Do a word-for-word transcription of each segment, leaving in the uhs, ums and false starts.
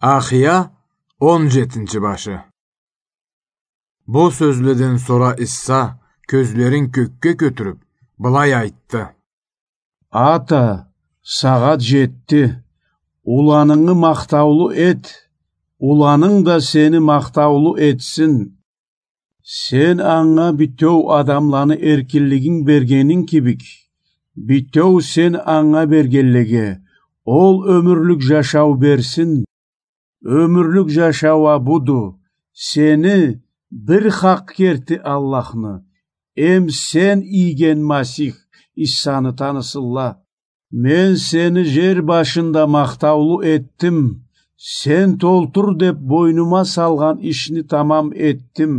Ахия, он джетинчи башы. Бу сёзледен сора Иса, кёзлерин кёкге кётюрюб, былай айтды: Ата, сагъат джетди. Уланынгы махтаулу эт, уланынг да сени махтаулу этсин. Сен анга бютеу адамланы эркинлигин бергенинг кибик, бютеу сен анга бергенлеге ол ёмюрлюк джашау берсин. Ёмюрлюк джашау а буду: сени бир хакъ керти Аллахны, эм сен ийген Масих Исаны танысынла. Мен сени джер башында махтаулу этдим, сен толтур деб бойнума салгъан ишни тамам этдим.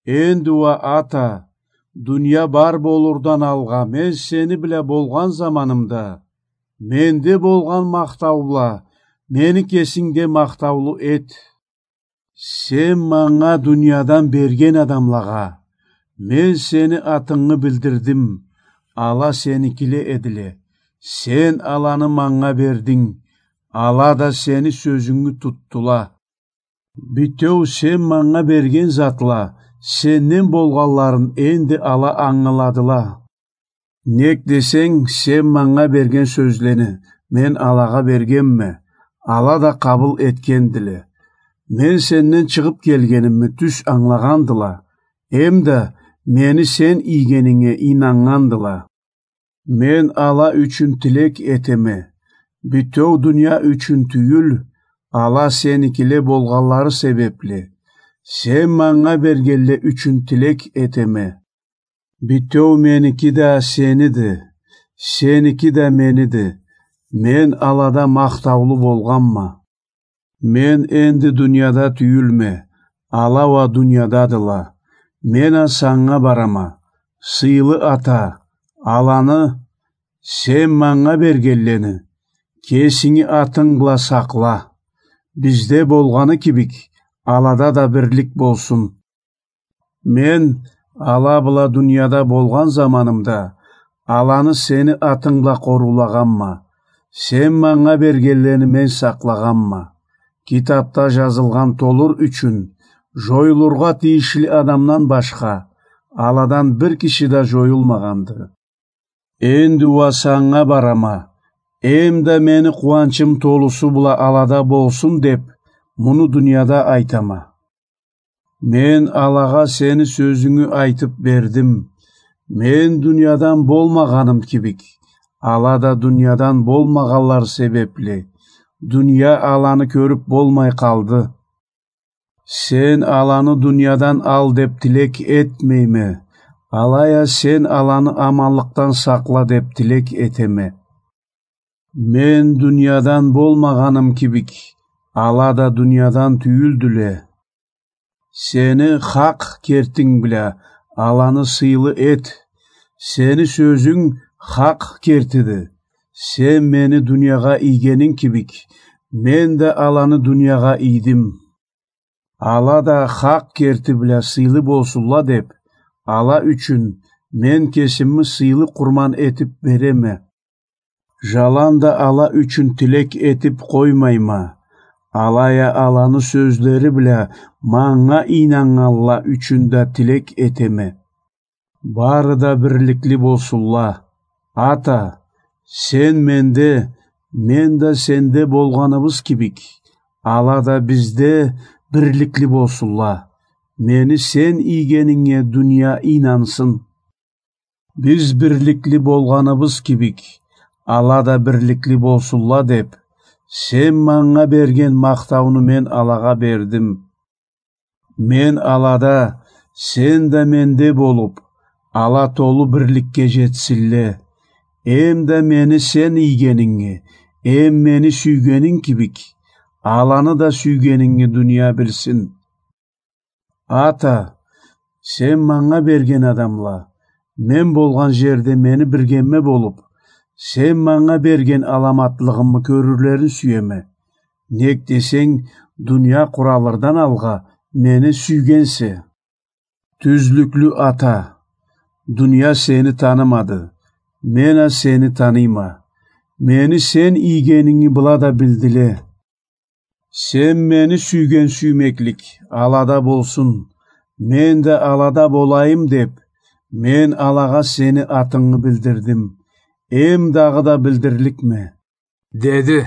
Энди уа, Ата, дуния бар болурдан алгъа мен сени бла болгъан заманымда, менде болгъан махтау бла мени кесингде махтаулу эт. Сен манга дуниядан берген адамлагъа мен сени атынгы билдирдим, ала сеникиле эдиле. Сен аланы манга бердинг, ала да сени сёзюнгю тутдула. Бютеу сен манга берген затла сенден болгъанларын энди ала ангыладыла. Нек десенг, сен манга берген сёзлени мен алагъа бергенме, ала да къабыл этгендиле. Мен сенден чыгъыб келгенимни тюз ангылагъандыла, эм да мени сен ийгенинге ийнаннгандыла. Мен ала ючюн тилек этеме, бютеу дуния ючюн тюйюл, ала сеникиле болгъанлары себебли, сен манга бергенле ючюн тилек этеме. Бютеу меники да сениди, сеники да мениди. Мен алада махтаулу болгъанма. Мен энди дунияда тюйюлме, ала уа дуниядадыла. Мен а санга барама. Сыйлы Ата, аланы, сен манга бергенлени, кесинги атынг бла сакъла. Бизде болгъаны кибик, алада да бирлик болсун. Мен ала бла дунияда болгъан заманымда, аланы сени атынг бла къоруулагъанма. Сен манга бергенлени мен сакълагъанма. Китабда джазылгъан толур ючюн, джоюлургъа тийишли адамдан башха, аладан бир киши да джоюлмагъанды. Энди уа санга барама, эм да мени къууанчым толусу бла алада болсун деб, муну дунияда айтама. Мен алагъа сени сёзюнгю айтыб бердим. Мен дуниядан болмагъаным кибик, ала да дуниядан болмагъанлары себебли, дуния аланы кёрюб болмай къалды. Сен аланы дуниядан ал деб тилек этмейме, алай а сен аланы аманлыкъдан сакъла деб тилек этеме. Мен дуниядан болмагъаным кибик, ала да дуниядан тюйюлдюле. Сени хакъ кертинг бла аланы сыйлы эт. Сени сёзюнг хакъ кертиди. Сен мени дуниягъа ийгенинг кибик, мен да аланы дуниягъа ийдим. Ала да хакъ керти бла сыйлы болсунла деб, ала ючюн мен кесими сыйлы къурман этиб береме. Джаланда ала ючюн тилек этиб къоймайма, алай а аланы сёзлери бла манга ийнаннганла ючюн да тилек этеме. Бары да бирликли болсунла. Ата, сен менде, мен да сенде болгъаныбыз кибик, ала да бизде бирликли болсунла. Мени сен ийгенинге дуния ийнансын. Биз бирликли болгъаныбыз кибик, ала да бирликли болсунла деб, сен манга берген махтауну мен алагъа бердим. Мен алада, сен да менде болуб, ала толу бирликге джетсинле. Эм да мени сен ийгенинги, эм мени сюйгенинг кибик, аланы да сюйгенинги дуния билсин. Ата, сен манга берген адамла, мен болгъан джерде мени биргемме болуб, сен манга берген аламатлыгъымы кёрюрлерин сюеме. Нек десенг, дуния къуралырдан алгъа мени сюйгенсе. Тюзлюклю Ата, дуния сени танымады, мен а сени таныйма. Мени сен ийгенинги была да билдиле. Сен мени сюйген сюймеклик алада болсун, мен да алада болайым деп, мен алагъа сени атынгы билдирдим. Эм дагъыда билдирликме, — деди.